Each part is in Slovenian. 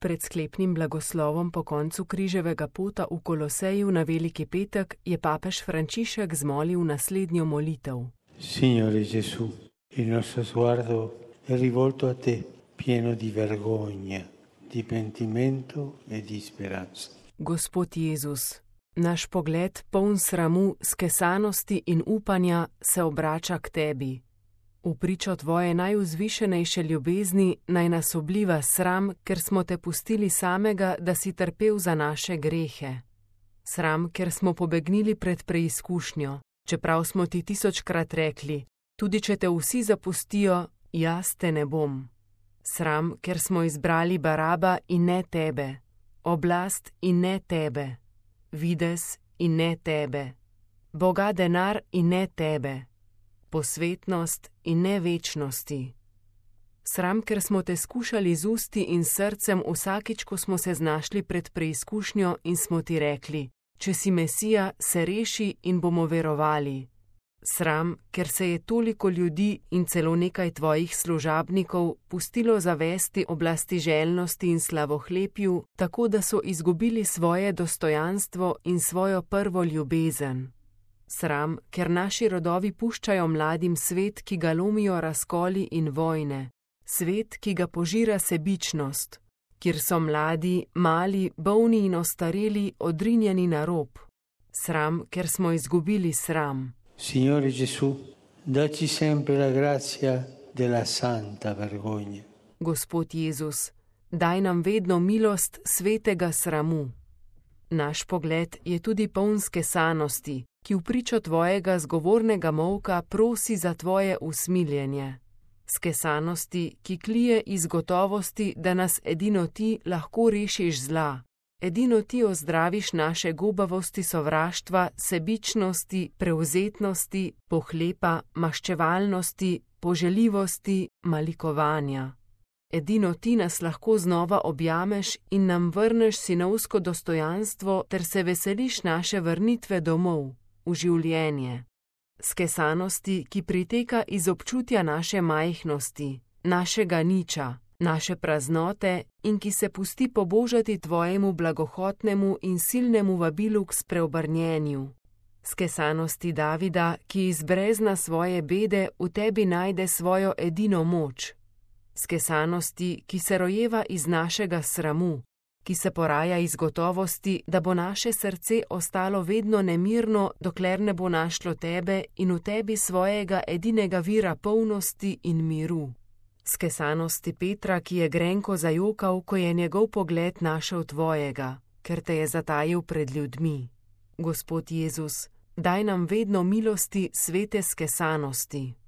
Pred sklepnim blagoslovom po koncu križevega pota v Koloseju na Veliki petek je papež Frančišek zmolil naslednjo molitev. Signore Gesù, il nostro sguardo è rivolto a te, pieno di vergogna, di pentimento e di speranza. Gospod Jezus, naš pogled poln sramu, skesanosti in upanja se obrača k tebi. V pričo tvoje najvzvišenejše ljubezni naj nas obliva sram, ker smo te pustili samega, da si trpel za naše grehe. Sram, ker smo pobegnili pred preizkušnjo, čeprav smo ti 1000-krat rekli, tudi če te vsi zapustijo, jaz te ne bom. Sram, ker smo izbrali Baraba in ne tebe, oblast in ne tebe, videz in ne tebe, Boga denar in ne tebe, posvetnost in ne večnosti. Sram, ker smo te skušali z usti in srcem vsakič, ko smo se znašli pred preizkušnjo in smo ti rekli, če si Mesija, se reši in bomo verovali. Sram, ker se je toliko ljudi in celo nekaj tvojih služabnikov pustilo zavesti oblasti željnosti in slavohlepju, tako da so izgubili svoje dostojanstvo in svojo prvo ljubezen. Sram, ker naši rodovi puščajo mladim svet, ki ga lomijo razkoli in vojne, svet, ki ga požira sebičnost, kjer so mladi, mali, bolni in ostareli odrinjeni na rob. Sram, ker smo izgubili sram. Signore Gesù, dacci sempre la grazia della santa vergogna. Gospod Jezus, daj nam vedno milost svetega sramu. Naš pogled je tudi poln skesanosti, ki v pričo tvojega zgovornega molka prosi za tvoje usmiljenje. Skesanosti, ki klije iz gotovosti, da nas edino ti lahko rešiš zla. Edino ti ozdraviš naše gubavosti sovraštva, sebičnosti, prevzetnosti, pohlepa, maščevalnosti, poželjivosti, malikovanja. Edino ti nas lahko znova objameš in nam vrneš sinovsko dostojanstvo ter se veseliš naše vrnitve domov, v življenje. Skesanosti, ki priteka iz občutja naše majhnosti, našega niča, naše praznote in ki se pusti pobožati tvojemu blagohotnemu in silnemu vabilu k spreobrnjenju. Skesanosti Davida, ki iz brezna svoje bede v tebi najde svojo edino moč. Skesanosti, ki se rojeva iz našega sramu, ki se poraja iz gotovosti, da bo naše srce ostalo vedno nemirno, dokler ne bo našlo tebe in v tebi svojega edinega vira polnosti in miru. Skesanosti Petra, ki je grenko zajokal, ko je njegov pogled našel tvojega, ker te je zatajil pred ljudmi. Gospod Jezus, daj nam vedno milosti svete skesanosti.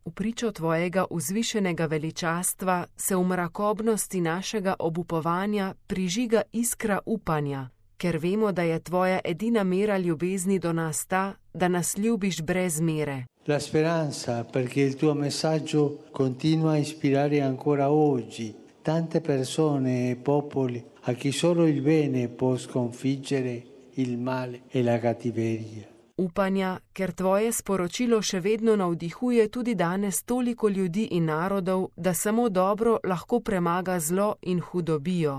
V pričo tvojega vzvišenega veličastva se v mrakobnosti našega obupovanja prižiga iskra upanja, ker vemo, da je tvoja edina mera ljubezni do nas ta, da nas ljubiš brez mere. La speranza perché il tuo messaggio continua a ispirare ancora oggi tante persone e popoli a chi solo il bene può sconfiggere il male e la cattiveria. Upanja, ker tvoje sporočilo še vedno navdihuje tudi danes toliko ljudi in narodov, da samo dobro lahko premaga zlo in hudobijo.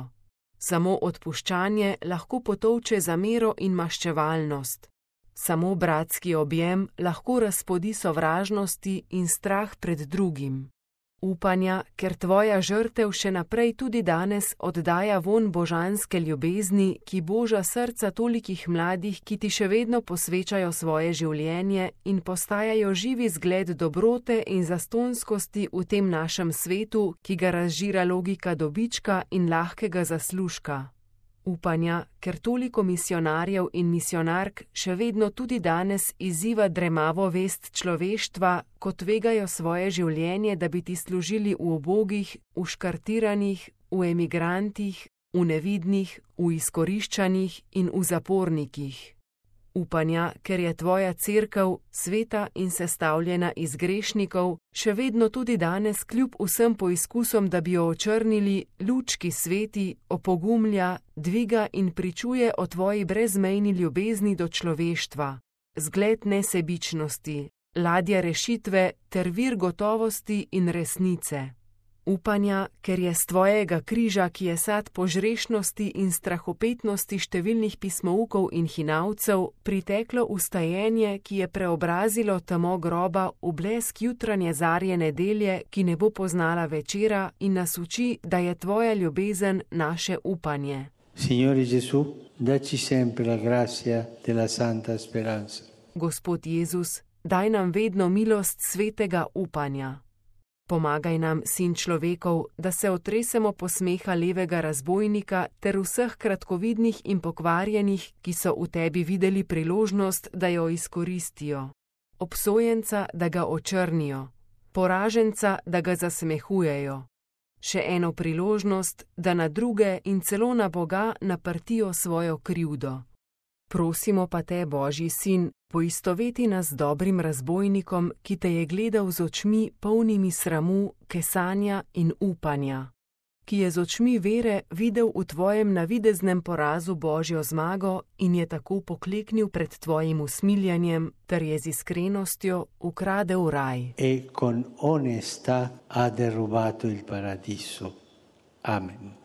Samo odpuščanje lahko potolče zamero in maščevalnost. Samo bratski objem lahko razpodi sovražnosti in strah pred drugim. Upanja, ker tvoja žrtev še naprej tudi danes oddaja vonj božanske ljubezni, ki boža srca tolikih mladih, ki ti še vedno posvečajo svoje življenje in postajajo živi zgled dobrote in zastonskosti v tem našem svetu, ki ga razžira logika dobička in lahkega zaslužka. Upanja, ker toliko misionarjev in misionark še vedno tudi danes izziva dremavo vest človeštva, ko tvegajo svoje življenje, da bi ti služili v ubogih, v škartiranih, v emigrantih, v nevidnih, v izkoriščanih in v zapornikih. Upanja, ker je tvoja cerkev sveta in sestavljena iz grešnikov, še vedno tudi danes kljub vsem poizkusom, da bi jo očrnili, lučki sveti, opogumlja, dviga in pričuje o tvoji brezmejni ljubezni do človeštva, zgled nesebičnosti, ladja rešitve ter vir gotovosti in resnice. Upanja, ker je s tvojega križa, ki je sad požrešnosti in strahopetnosti številnih pismoukov in hinavcev, priteklo ustajenje, ki je preobrazilo temo groba v blesk jutranje zarje nedelje, ki ne bo poznala večera, in nas uči, da je tvoja ljubezen naše upanje. Signore Gesù, dacci sempre la grazia della santa speranza. Gospod Jezus, daj nam vedno milost svetega upanja. Pomagaj nam, Sin človekov, da se otresemo posmeha levega razbojnika ter vseh kratkovidnih in pokvarjenih, ki so v tebi videli priložnost, da jo izkoristijo. Obsojenca, da ga očrnijo. Poraženca, da ga zasmehujejo. Še eno priložnost, da na druge in celo na Boga naprtijo svojo krivdo. Prosimo pa te, Božji Sin, poistoveti nas z dobrim razbojnikom, ki te je gledal z očmi polnimi sramu, kesanja in upanja, ki je z očmi vere videl v tvojem navideznem porazu Božjo zmago in je tako pokleknil pred tvojim usmiljanjem, ter je z iskrenostjo ukradel raj. E con onestà ha derubato il paradiso. Amen.